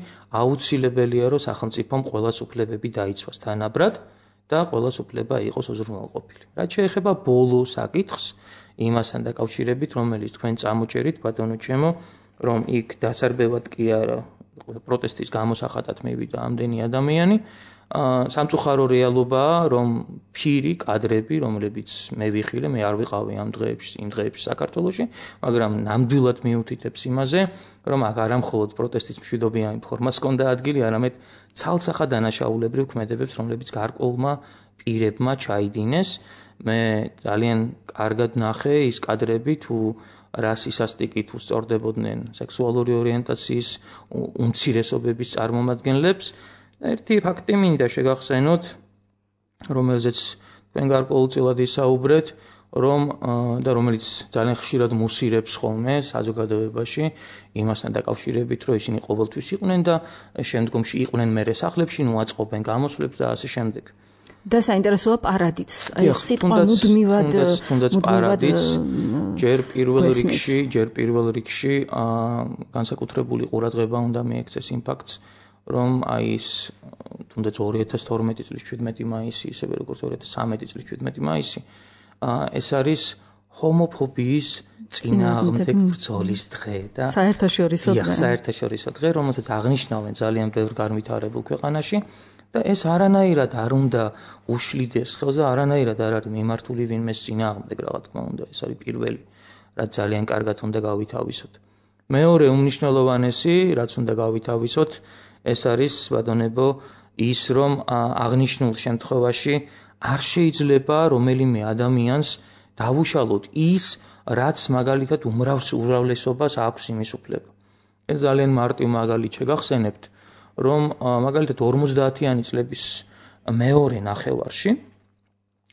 აუცილებელია, რომ სახელმწიფომ ყველას უფლებები დაიცვას თანაბრად და ყველას უფლება იყოს უზრუნველყოფილი. რაც შეეხება ბოლო საკითხს, იმასთან დაკავშირებით, რომელიც თქვენ წამოჭერით, ბატონო ჩემო, რომ იქ დასარბევად კი არა პროტესტის გამოსახატად მივიდა ამდენი ადამიანი, სამწუხარო რეალობაა, რომ ფირი კადრები, რომლებიც მე ვიხილე, მე არ ვიყავი იმ დღეებში საქართველოში, მაგრამ ნამდვილად მიუთითებს იმაზე, რომ არა მხოლოდ პროტესტის მშვიდობიანი ფორმას ჰქონდა ადგილი, არამედ ცალსახა დანაშაულებრივ ქმედებებს, რომლებიც გარკვეულმა პირებმა ჩაიდინეს. მე ძალიან კარგად ნახე ის კადრები, თუ რასისასტიკით უსწორდებოდნენ სექსუალური ორიენტაციის უმცირესობების წარმომადგენლებს. ერთი ფაქტი მინდა შეგახსენოთ, რომელზეც თქვენ გარკვეულწილად ისაუბრეთ, რომ და რომელიც ძალიან ხშირად მუსირებს ხოლმე საზოგადოებაში იმასთან დაკავშირებით, რომ ისინი ყოველთვის იყვნენ და შემდგომში იყვნენ მერე სახლებში, აწყობენ გამოსვლებს და ასე შემდეგ. და საინტერესოა პარადიც. აი სიტყვა მუდმივად პარადიც ჯერ პირველ რიგში განსაკუთრებული ყურადღება უნდა მიექცეს იმ ფაქტს, რომ აი ის თუნდაც 2012 წლის 17 მაისი, ისევე როგორც 2013 წლის 17 მაისი, ეს არის ჰომოფობიის წინააღმდეგ ბრძოლის დღე და საერთაშორისო დღე, რომელსაც აღნიშნავენ ძალიან ბევრ განვითარებულ ქვეყანაში და ეს არანაირად არ უნდა უშლიდეს ხელზე, არანაირად არ არის მიმართული ვინმეს წინააღმდეგ, რა თქმა უნდა, ეს არის პირველი, რაც ძალიან კარგად უნდა გავითავისოთ. მეორე უმნიშვნელოვანესი, რაც უნდა გავითავისოთ, ეს არის ბატონებო ის, რომ აღნიშნულ შემთხვევაში არ შეიძლება რომელიმე ადამიანს დავუშალოთ ის, რაც მაგალითად უმრავლესობას აქვს იმის უფლება. ეს ძალიან მარტივ მაგალითს შეგახსენებთ, რომ მაგალითად 50-იანი წლების მეორე ნახევარში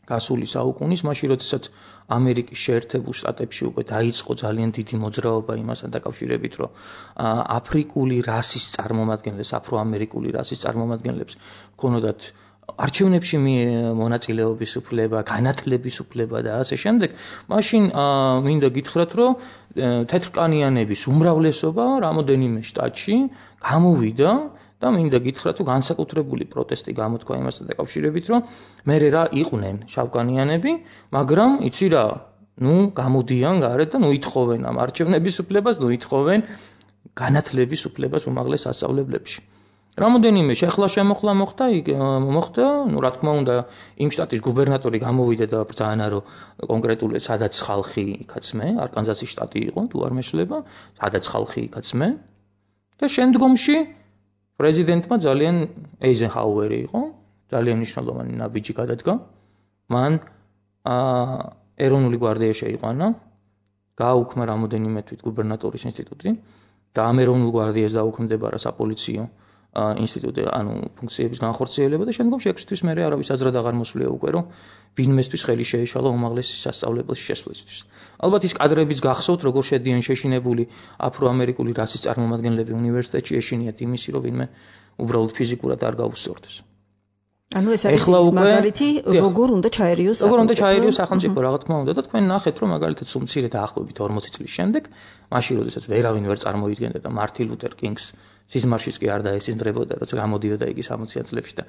გასული საუკუნის, მაშინ როდესაც ამერიკის შეერთებულ შტატებში უკვე დაიწყო ძალიან დიდი მოძრაობა იმასთან დაკავშირებით, რომ აფრიკული რასის წარმომადგენლებს, აფროამერიკული რასის წარმომადგენლებს ჰქონოდათ არჩევნებში მონაწილეობის უფლება, განათლების უფლება და ასე შემდეგ, მაშინ მინდა გითხრათ, რომ თეთრკანიანების უმრავლესობა რამოდენიმე შტატში გამოვიდა და მინდა გითხრათ, რომ განსაკუთრებული პროტესტი გამოთქვა იმასთან დაკავშირებით, რომ მე რა იყვნენ შავკანიანები, მაგრამ იცი რა, გამოდიან გარეთ და ითხოვენ ამ არჩევნების უფლებას, ითხოვენ განათლების უფლებას უმაღლეს სასწავლებლებში. რამოდენიმე შეხლა-შემოხლა მოხდა, რა თქმა უნდა, იმ შტატის გუბერნატორი გამოვიდა და ბრძანა, რომ კონკრეტულად სადაც ხალხი იქაცმე, არკანზასის შტატი იყო, თუ არ მეშლება, სადაც ხალხი იქაცმე და შემდგომში პრეზიდენტმა ძალიან ეიზენჰაუერი იყო, ძალიან მნიშვნელოვანი ნაბიჯი გადადგა. მან ეროვნული გვარდია შეიყვანა, გააუქმა რამოდენიმე თვითგუბერნატორის ინსტიტუტი და ამ ეროვნულ გვარდიას დაუქმდებარა საპოლიციო ინსტიტუტი, ფუნქციების განხორციელება და შემდგომში 6 თვის მერე არავის აზრად აღარ მოსვლია უკვე, რომ ვინმესთვის ხელი შეეშალა უმაღლესი სასწავლებელში შესვლისთვის. ალბათ ის კადრებიც გახსოვთ, როგორ შედიან შეშინებული აფროამერიკული რასის წარმომადგენლები უნივერსიტეტში, ეშინიათ იმისი, რომ ვინმე უბრალოდ ფიზიკურად არ გაუსწორდეს. ეს არის მაგალითი, როგორ უნდა ჩაერიოს სახელმწიფო, რა თქმა უნდა და თქვენ ნახეთ, რომ მაგალითად სულ მცირე დაახლოებით 40 წლის შემდეგ, მაშინ როდესაც ვერავინ ვერ წარმოიდგენდა და მარტინ ლუთერ კინგს სიზმარშიც კი არ დაესიზმრებოდა, როცა გამოდიოდა იგი 60-იან წლებში და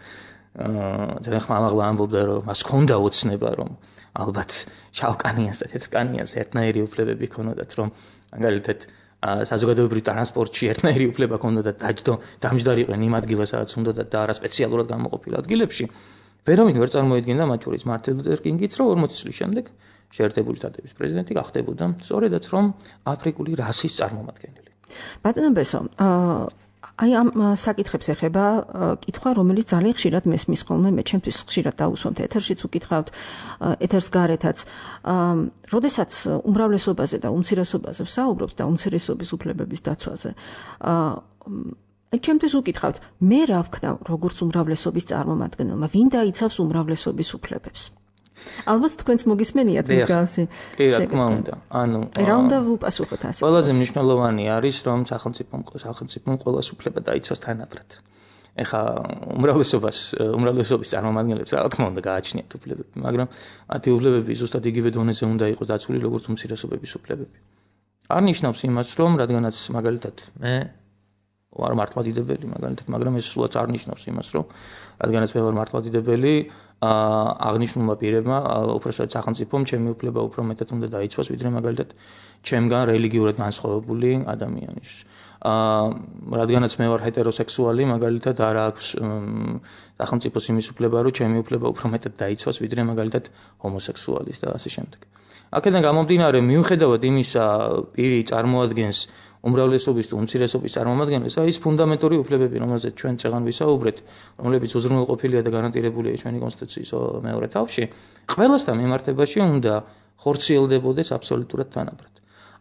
ძალიან ხმამაღლა ამბობდა, რომ მას ჰქონდა ოცნება, რომ ალბათ შავკანიანს და თეთრკანიანს ერთნაირი უფლებები ჰქონოდათ, რომ მაგალითად საზოგადოებრივ ტრანსპორტში ერთნაირი უფლება ჰქონდათ დამჯდარიყვნენ იმ ადგილას, სადაც უნდათ და არა სპეციალურად გამოყოფილ ადგილებში. ვერავინ ვერ წარმოიდგენდა, მათ შორის მარტინ ლუთერ კინგიც, რომ 40 წლის შემდეგ შეერთებული შტატების პრეზიდენტი გახდებოდა სწორედაც რომ აფრიკული რასის წარმომადგენელი. ბატონო ბესო, აი ამ საკითხებს ეხება კითხვა, რომელიც ძალიან ხშირად მესმის ხოლმე, მე ჩემთვის ხშირად დავუსვამთ ეთერშიც უკითხავთ, ეთერს გარეთაც. როდესაც უმრავლესობაზე და უმცირესობაზე ვსაუბრობთ და უმცირესობის უფლებების დაცვაზე, ჩემთვის უკითხავთ, მე რა ვქნა როგორც უმრავლესობის წარმომადგენელმა, ვინ დაიცავს უმრავლესობის უფლებებს? ალბათ თქვენც მოგისმენიათ მსგავსი. კი, რა თქმა უნდა. რა უნდა ვუპასუხოთ ასე? ყველაზე მნიშვნელოვანი არის, რომ სახელმწიფომ ყველას უფლება დაიცვას თანაბრად. ეხლა უმრავლესობის წარმომადგენლებს რა თქმა უნდა გააჩნიათ უფლებები, მაგრამ მათი უფლებები ზუსტად იგივე დონეზე უნდა იყოს დაცული, როგორც უმცირესობების უფლებები. არ ნიშნავს იმას, რომ რადგანაც მაგალითად მე ვარ მართლმადიდებელი, მაგალითად, მაგრამ ეს სულაც არ ნიშნავს იმას, რომ რადგანაც მე ვარ მართლმადიდებელი, აღნიშნულმა პირებმა, უпроსტად სახელმწიფომ ჩემი უფლება უფრო მეტად უნდა დაიცვას, ვიდრე მაგალითად ჩემგან რელიგიურად განსხვავებული ადამიანის. რადგანაც მე ვარ ჰეტეროსექსუალი, მაგალითად არ აქვს სახელმწიფოს იმის უფლება, რომ ჩემი უფლება უფრო მეტად დაიცვას, ვიდრე მაგალითად ჰომოსექსუალის და ასე შემდეგ. აქედან გამომდინარე, მიუხედავად იმისა, პირი წარმოადგენს უმრავლესობის თუ უმცირესობის წარმომადგენლებს, ის ფუნდამენტური უფლებები, რომელზეც ჩვენ წეგან ვისაუბრეთ, რომლებიც უზრუნველყოფილია და გარანტირებულია ჩვენი კონსტიტუციის მეორე თავში, ყველასთან მიმართებაში უნდა ხორციელდებოდეს აბსოლუტურად თანაბრად.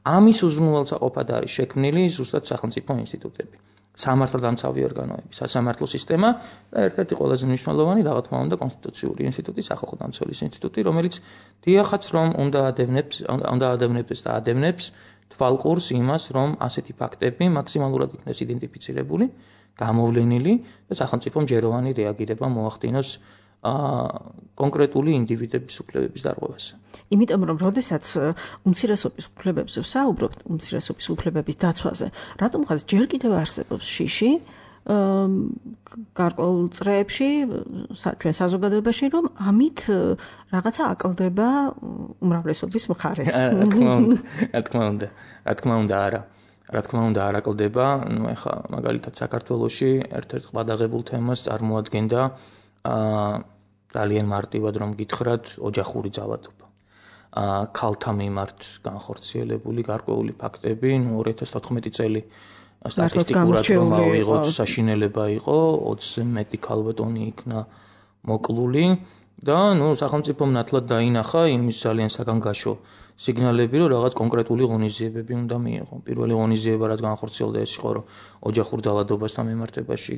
ამის უზრუნველსაყოფად არის შექმნილი ზუსტად სახელმწიფო ინსტიტუტები. სამართალდამცავი ორგანოები, სასამართლო სისტემა და ერთ-ერთი ყველაზე მნიშვნელოვანი რა თქმა უნდა კონსტიტუციური ინსტიტუტი, სახალხო დამცველის ინსტიტუტი, რომელიც დიახაც რომ უნდა ადევნებს და ადევნებს თვალყურს იმას, რომ ასეთი ფაქტები მაქსიმალურად იქნეს იდენტიფიცირებული, გამოვლენილი და სახელმწიფომ ჯეროვანი რეაგირება მოახდინოს კონკრეტული ინდივიდების უფლებების დარღვევას. იმიტომ რომ როდესაც უმცირესობის უფლებებზე ვსაუბრობთ, უმცირესობის უფლებების დაცვაზე, რატომღაც ჯერ კიდევ არსებობს შიში გარკვეულ წრეებში ჩვენ საზოგადოებაში, რომ ამით რაღაცა აკლდება უმრავლესობის მხარეს. რა თქმა უნდა, არა. რა თქმა უნდა, არ აკლდება, ეხლა მაგალითად საქართველოში ერთ-ერთ ყბადაღებულ თემას წარმოადგენდა ძალიან მარტივად რომ გითხრათ, ოჯახური ძალადობა. ქალთა მიმართ განხორციელებული გარკვეული ფაქტები, 2014 წელი სტატისტიკურად რომ ავიღოთ, საშინელება იყო, 20-ზე მეტი ქალბატონი იქნა მოკლული და სახელმწიფომ ნათლად დაინახა იმის ძალიან საგანგაშო სიგნალები, რომ რაღაც კონკრეტული ღონისძიებები უნდა მიიღო. პირველი ღონისძიება, რაც განხორციელდა, ეს იყო, რომ ოჯახურ ძალადობასთან მიმართებაში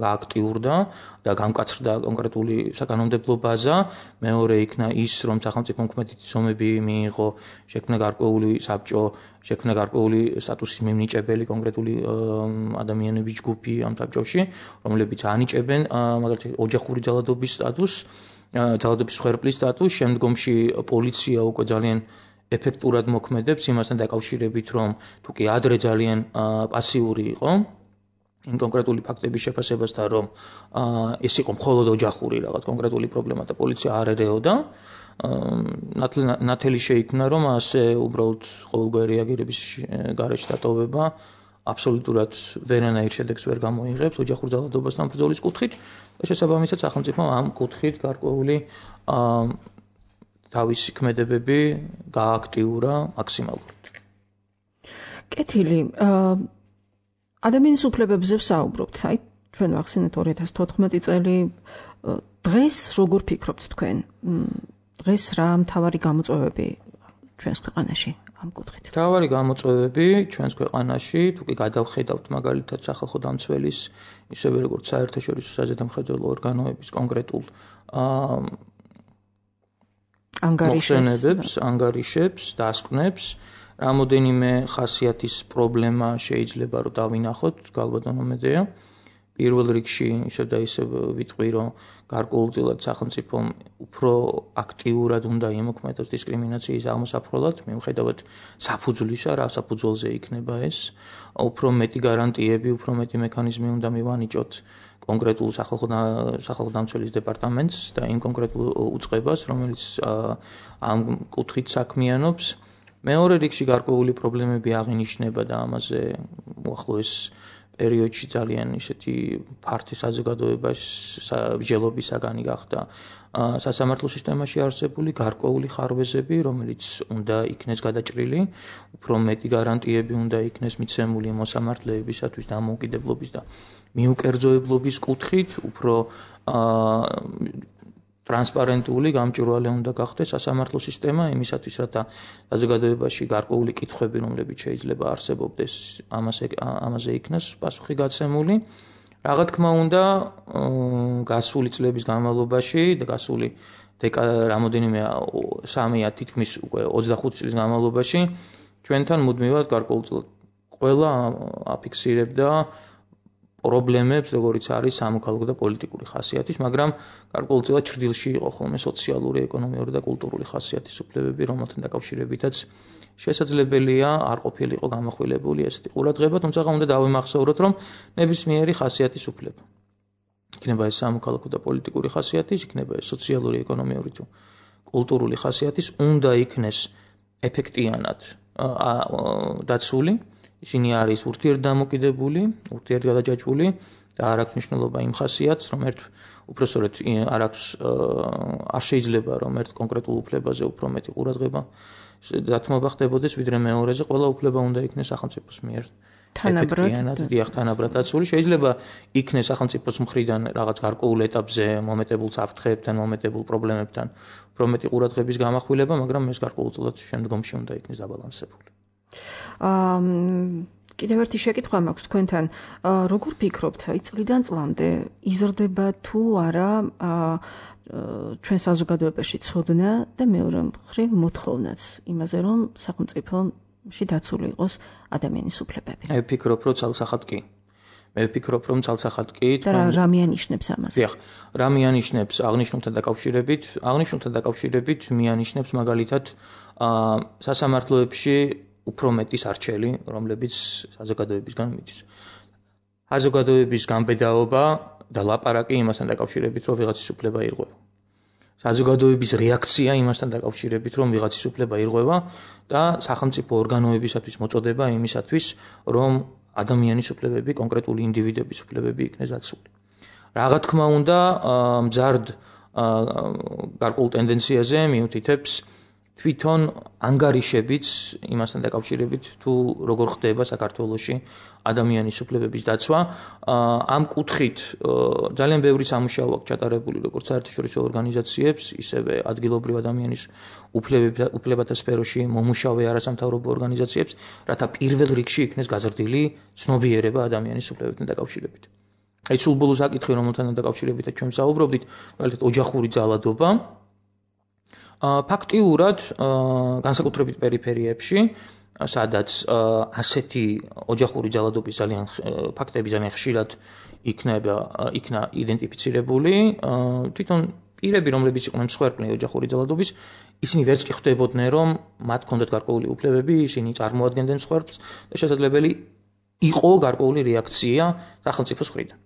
გააქტიურდა და გამკაცრდა კონკრეტული საკანონმდებლო ბაზა. მეორე იქნა ის, რომ სახელმწიფომ ქმედითი ზომები მიიღო, შექმნა გარკვეული საბჭო, შექმნა გარკვეული სტატუსის მიმნიჭებელი კონკრეტული ადამიანების ჯგუფი ამ საბჭოში, რომლებიც ანიჭებენ მაგალითად ოჯახური ძალადობის სტატუსს. ძალადობის მსხვერპლის სტატუსს, შემდგომში პოლიცია უკვე ძალიან ეფექტურად მოქმედებს იმასთან დაკავშირებით, რომ თუ კი ადრე ძალიან პასიური იყო იმ კონკრეტული ფაქტების შეფასებასთან, რომ ეს იყო მხოლოდ ოჯახური რაღაც კონკრეტული პრობლემა და პოლიცია არ ერეოდა, ნათელი შეიქმნა, რომ ასე უბრალოდ ყოველგვარი რეაგირების გარეშე დატოვება აბსოლუტურად ვერანაირ შედეგს ვერ გამოიღებს ოჯახურ ძალადობასთან ბრძოლის კუთხით და შესაბამისად სახელმწიფომ ამ კუთხით გარკვეული თავისი ქმედებები გააქტიურა მაქსიმალურად. კეთილი, ადამიანის უფლებებზე ვსაუბრობთ, აი ჩვენ ვახსენეთ 2014 წელი, დღეს როგორ ფიქრობთ თქვენ? დღეს რა მთავარი გამოწვევები ჩვენს ქვეყანაში? მთავარი გამოწვევები ჩვენს ქვეყანაში, თუ კი გადავხედავთ მაგალითად სახალხო დამცველის, ისევე როგორც საერთაშორისო საზედამხედველო ორგანოების კონკრეტულ ანგარიშებს, დასკვნებს, რამოდენიმე ხასიათის პრობლემა შეიძლება რომ დავინახოთ, გალბატონო მედეა. პირველ რიგში ისევ და ისევ ვიტყვი, რომ გარკვეულწილად სახელმწიფომ უფრო აქტიურად უნდა იმოქმედოს დისკრიმინაციის აღმოსაფრთხებლად, მიუხედავად საფუძვლისა, რა საფუძველზე იქნება ეს, უფრო მეტი გარანტიები, უფრო მეტი მექანიზმი უნდა მივანიჭოთ კონკრეტულ სახალხო დამცველის დეპარტამენტს და იმ კონკრეტულ უწყებას, რომელიც ამ კუთხით საქმიანობს. მეორე რიგში გარკვეული პრობლემები აღინიშნება და ამაზე უახლოეს პერიოდში ძალიან ისეთი ფართი საზოგადოების საგანი გახდა სასამართლო სისტემაში არსებული გარკვეული ხარვეზები, რომელიც უნდა იქნეს გადაჭრილი, უფრო მეტი გარანტიები უნდა იქნეს მიცემული მოსამართლეებისათვის დამოუკიდებლობის და მიუკერძოებლობის კუთხით, უფრო ტრანსპარენტული, გამჭვირვალე უნდა გახდეს სასამართლო სისტემა იმისათვის, რათა საზოგადოებაში გარკვეული კითხვები, რომლებიც შეიძლება არსებობდეს, ამაზე იქნას პასუხი გაცემული. რა თქმა უნდა, გასული წლების განმავლობაში და გასული რამოდენიმე 3 თითქმის უკვე 25 წლის განმავლობაში ჩვენთან მუდმივად გარკვეულწილად ყველა აფიქსირებდა პრობლემებს, როგორიც არის სამოქალაქო და პოლიტიკური ხასიათის, მაგრამ გარკვეულწილად ჭრილში იყო ხოლმე სოციალური, ეკონომიური და კულტურული ხასიათის უფლებები, რომელთან დაკავშირებითაც შესაძლებელია არ ყოფილიყო გამახვილებული ესეთი ყურადღება, თუმცა უნდა დავიმახსოვროთ, რომ ნებისმიერი ხასიათის უფლება. იქნება ეს სამოქალაქო და პოლიტიკური ხასიათის, იქნება ეს სოციალური, ეკონომიური თუ კულტურული ხასიათის, უნდა იქნეს ეფექტიანად დაცული. ისინი არის ურთიერთდამოკიდებული, ურთიერთგადაჯაჭვული და არ აქვს მნიშვნელობა იმ ხასიათს, რომ უпроსორეთ არ შეიძლება რომ ერთ კონკრეტულ უფლებაზე უფრო მეტი ყურადღება დათმობა ხდებოდეს, ვიდრე მეორეზე, ყველა უფლება უნდა იქნეს სახელმწიფოს მიერ თანაბრად დაცული. შეიძლება იქნეს სახელმწიფოს მხრიდან რაღაც გარკვეულ ეტაპზე მომეტებულ საფრთხეებთან, მომეტებულ პრობლემებთან უფრო მეტი ყურადღების გამახვილება, მაგრამ ეს გარკვეულწილად შემდგომში უნდა იქნეს დაბალანსებული. კიდევ ერთი შეკითხვა მაქვს თქვენთან. Როგორ ფიქრობთ, აი წლიდან წლამდე იზრდება თუ არა ჩვენ საზოგადოებაში ცოდნა და მეორე მხრივ მოთხოვნაც იმაზე, რომ სახელმწიფოში დაცული იყოს ადამიანის უფლებები? მე ვფიქრობ, რომ ცალსახად კი. მე ვფიქრობ, რომ ცალსახად კი. და რა მიანიშნებს ამას? დიახ, რა მიანიშნებს აღნიშნულთან დაკავშირებით მიანიშნებს მაგალითად სასამართლოებში უფრო მეტი სარჩელი, რომლებიც საზოგადოებისგან მიდის. საზოგადოების განბედაობა და ლაპარაკი იმასთან დაკავშირებით, რომ ვიღაცის უფლება ირღვევა. საზოგადოების რეაქცია იმასთან დაკავშირებით, რომ ვიღაცის უფლება ირღვევა და სახელმწიფო ორგანოებისათვის მოწოდება იმისათვის, რომ ადამიანის უფლებები, კონკრეტული ინდივიდების უფლებები იქნეს დაცული. Რა თქმა უნდა, მძარდ გარკვეულ ტენდენციაზე მიუთითებს თვითონ ანგარიშებიც იმასთან დაკავშირებით, თუ როგორ ხდება საქართველოში ადამიანის უფლებების დაცვა. ამ კუთხით ძალიან ბევრი სამუშაო აქვს ჩატარებული როგორც საერთაშორისო ორგანიზაციებს, ისევე ადგილობრივ ადამიანის უფლებათა სფეროში მომუშავე არასამთავრობო ორგანიზაციებს, რათა პირველ რიგში იქნეს გაზრდილი ცნობიერება ადამიანის უფლებებთან დაკავშირებით. აი სულ ბოლო საკითხი, რომელთან დაკავშირებით ჩვენ ვსაუბრობდით, მაგალითად ოჯახური ძალადობა. ფაქტიურად განსაკუთრებით პერიფერიებში, სადაც ასეთი ოჯახური ძალადობის ფაქტები ძალიან ხშირად იქნა იდენტიფიცირებული, თვითონ პირები, რომლებიც იყვნენ მსხვერპლი ოჯახური ძალადობის, ისინი ვერც კი ხვდებოდნენ, რომ მათ ჰქონდათ გარკვეული უფლებები, ისინი წარმოადგენდნენ მსხვერპლს და შესაძლებელი იყო გარკვეული რეაქცია სახელმწიფოს მხრიდან.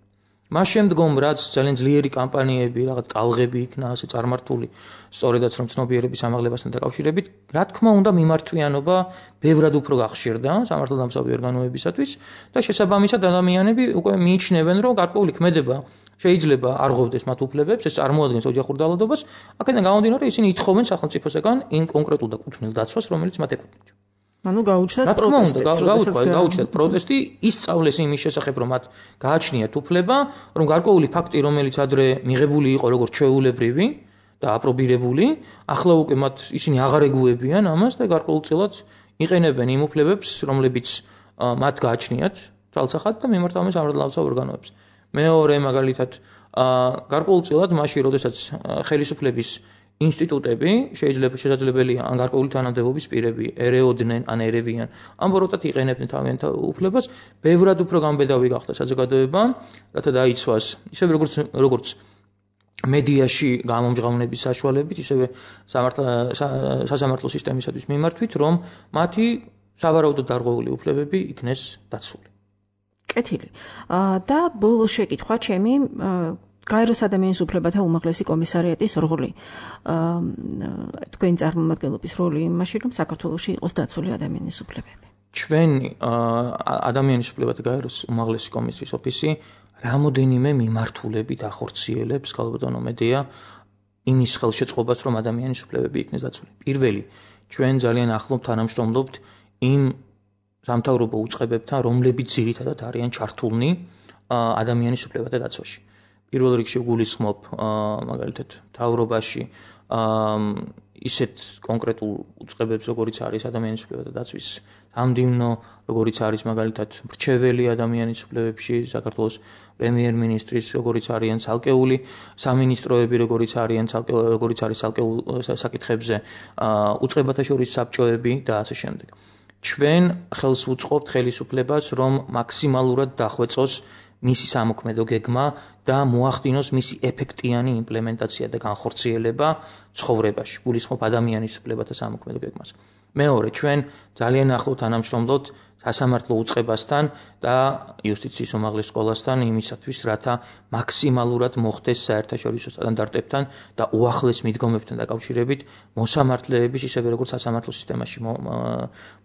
მას შემდგომ, რაც ძალიან ძლიერი კამპანიები, რაღაც ტალღები იქნა ასე წარმართული, სწორედაც რომ ცნობიერების ამაღლებასთან დაკავშირებით, რა თქმა უნდა, მიმართვიანობა ბევრად უფრო გახშირდა სამართალდამცავი ორგანოებისათვის და შესაბამისად ადამიანები უკვე მიიჩნევენ, რომ გარკვეული ქმედება შეიძლება არ ღვევდეს მათ უფლებებს, ეს წარმოადგენს ოჯახურ ძალადობას, აქედან გამომდინარე, ისინი ითხოვენ სახელმწიფოსგან იმ კონკრეტულ და კუთვნილ დაცვას, რომელიც მათ ეკუთვნით. ანუ გაუჩნდათ პროტესტი, ისწავლეს იმის შესახებ, რომ მათ გააჩნიათ უფლება, რომ გარკვეული ფაქტი, რომელიც ადრე მიღებული იყო როგორც ჩვეულებრივი და აპრობირებული, ახლა უკვე ისინი აღარ ეგუებიან ამას და გარკვეულწილად იყენებენ იმ უფლებებს, რომლებიც მათ გააჩნიათ თვალსახად და მიმართავენ სამართალდამცავ ორგანოებს. მეორე მაგალითად, გარკვეულწილად მაშინ, როდესაც ხელისუფლების ინსტიტუტები შესაძლებელია ან გარკვეული თანამდებობის პირები ერეოდნენ ან ერევიან, ან ბოროტად იყენებდნენ თავიანთ უფლებას, ბევრად უფრო განბედავი გახდა საზოგადოება, რათა დაიცვას, ისევე როგორც მედიაში გამომჟღავნების საშუალებით, ისევე სასამართლო სისტემისათვის მიმართვით, რომ მათი სავარაუდოდ დარღვეული უფლებები იქნეს დაცული. კეთილი. და ბოლო შეკითხვა ჩემი გაეროს ადამიანის უფლებათა უმაღლესი კომისარიატის როლი. თქვენი წარმომადგენლობის როლი იმაში, რომ საქართველოში იყოს დაცული ადამიანის უფლებები. ჩვენი ადამიანის უფლებათა გაეროს უმაღლესი კომისიის ოფისი რამოდენიმე მიმართულებით ახორციელებს ქალბატონო მედია იმის ხელშეწყობას, რომ ადამიანის უფლებები იქნეს დაცული. პირველი, ჩვენ ძალიან ახლობ თანამშრომლობთ იმ სამთავრობო უწყებებთან, რომლებიც ძირითადად არიან ჩართულნი ადამიანის უფლებათა დაცვაში. პირველ რიგში ვგულისხმობ მაგალითად მთავრობაში ისეთ კონკრეტულ უწყებებს, როგორიც არის ადამიანის უფლებათა დაცვის ამდიმნო, როგორიც არის მაგალითად მრჩეველი ადამიანის უფლებებში, საქართველოს პრემიერ-მინისტრის, როგორიც არიან ცალკეული სამინისტროები, როგორიც არის ცალკეულ საკითხებზე უწყებათა შორის საბჭოები და ასე შემდეგ. ჩვენ ხელს ვუწყობთ ხელისუფლებას, რომ მაქსიმალურად დახვეწოს მისი სამოქმედო გეგმა და მოახდინოს მისი ეფექტიანი იმპლემენტაცია და განხორციელება ცხოვრებაში. გულისხმობ ადამიანის უფლებათა სამოქმედო გეგმას. მეორე, ჩვენ ძალიან ახლო თანამშრომლობთ სასამართლო უწყებასთან და იუსტიციის უმაღლეს სკოლასთან იმისათვის, რათა მაქსიმალურად მოხდეს საერთაშორისო სტანდარტებთან და უახლეს მიდგომებთან დაკავშირებით მოსამართლეების, ისევე როგორც სასამართლო სისტემაში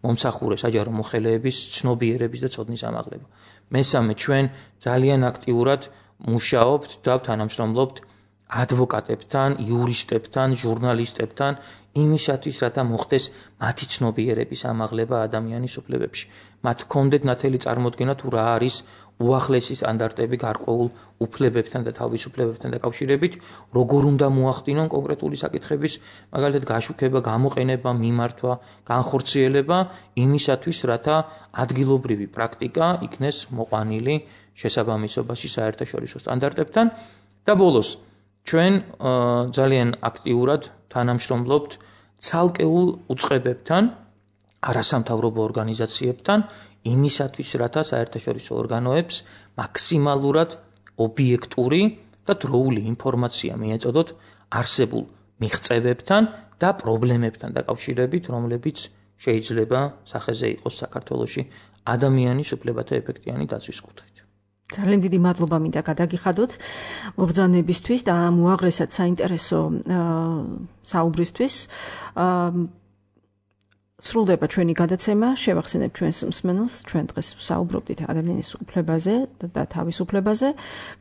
მომსახურე საჯარო მოხელეების ცნობიერების და ცოდნის ამაღლება. მესამე, ჩვენ ძალიან აქტიურად მუშაობთ და თანამშრომლობთ ადვოკატებთან, იურისტებთან, ჟურნალისტებთან იმისათვის, რათა მოხდეს მათი ცნობიერების ამაღლება ადამიანის უფლებებში. მათ ჰქონდეთ ნათელი წარმოდგენა თუ რა არის უახლესი სტანდარტები გარკვეულ უფლებებთან და თავისუფლებებთან დაკავშირებით, როგორ უნდა მოახდინონ კონკრეტული საკითხების, მაგალითად გაშუქება, გამოყენება, მიმართვა, განხორციელება იმისათვის, რათა ადგილობრივი პრაქტიკა იქნეს მოყვანილი შესაბამისობაში საერთაშორისო სტანდარტებთან და ბოლოს ჩვენ ძალიან აქტიურად თანამშრომლობთ ცალკეულ უწყებებთან, არასამთავრობო ორგანიზაციებთან, იმისათვის, რათა საერთაშორისო ორგანოებს მაქსიმალურად ობიექტური და დროული ინფორმაცია მიეწოდოთ არსებულ მიღწევებთან და პრობლემებთან დაკავშირებით, რომლებიც შეიძლება სახეზე იყოს საქართველოში ადამიანის უფლებათა ეფექტიანი დაცვის კუთხით. ძალიან დიდი მადლობა მინდა გადაგიხადოთ მობრძანებისთვის და მოაღრესად საინტერესო საუბრისთვის. სრულდება ჩვენი გადაცემა, შევახსენებთ ჩვენს მსმენელს, ჩვენ დღეს საუბრობდით ადამიანის უფლებაზე და თავისუფლებაზე.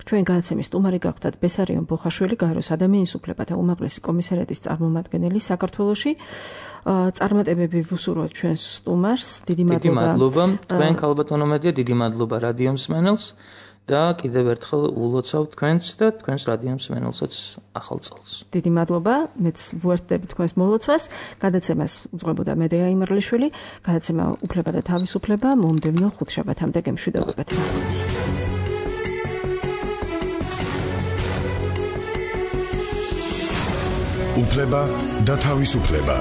ჩვენ გადაცემის სტუმარი გახდათ ბესარიონ ბოხაშვილი, გაეროს ადამიანის უფლებათა უმაღლესი კომისარიატის წარმომადგენელი საქართველოში. წარმატებები ვუსურვოთ ჩვენს სტუმარს. დიდი მადლობა. თქვენ ქალბატონო მედია, დიდი მადლობა რადიო მსმენელს და კიდევ ერთხელ ულოცავ თქვენს და თქვენს რადიო მსმენელსაც ახალ წელს. დიდი მადლობა, მეც ვუერთდები თქვენს მოლოცვას. გადაცემას უძღვებოდა მედეა იმერლიშვილი. გადაცემა უფლება და თავისუფლება მომდევნო ხუთშაბათამდე გემშვიდობებათ. უფლება და თავისუფლება.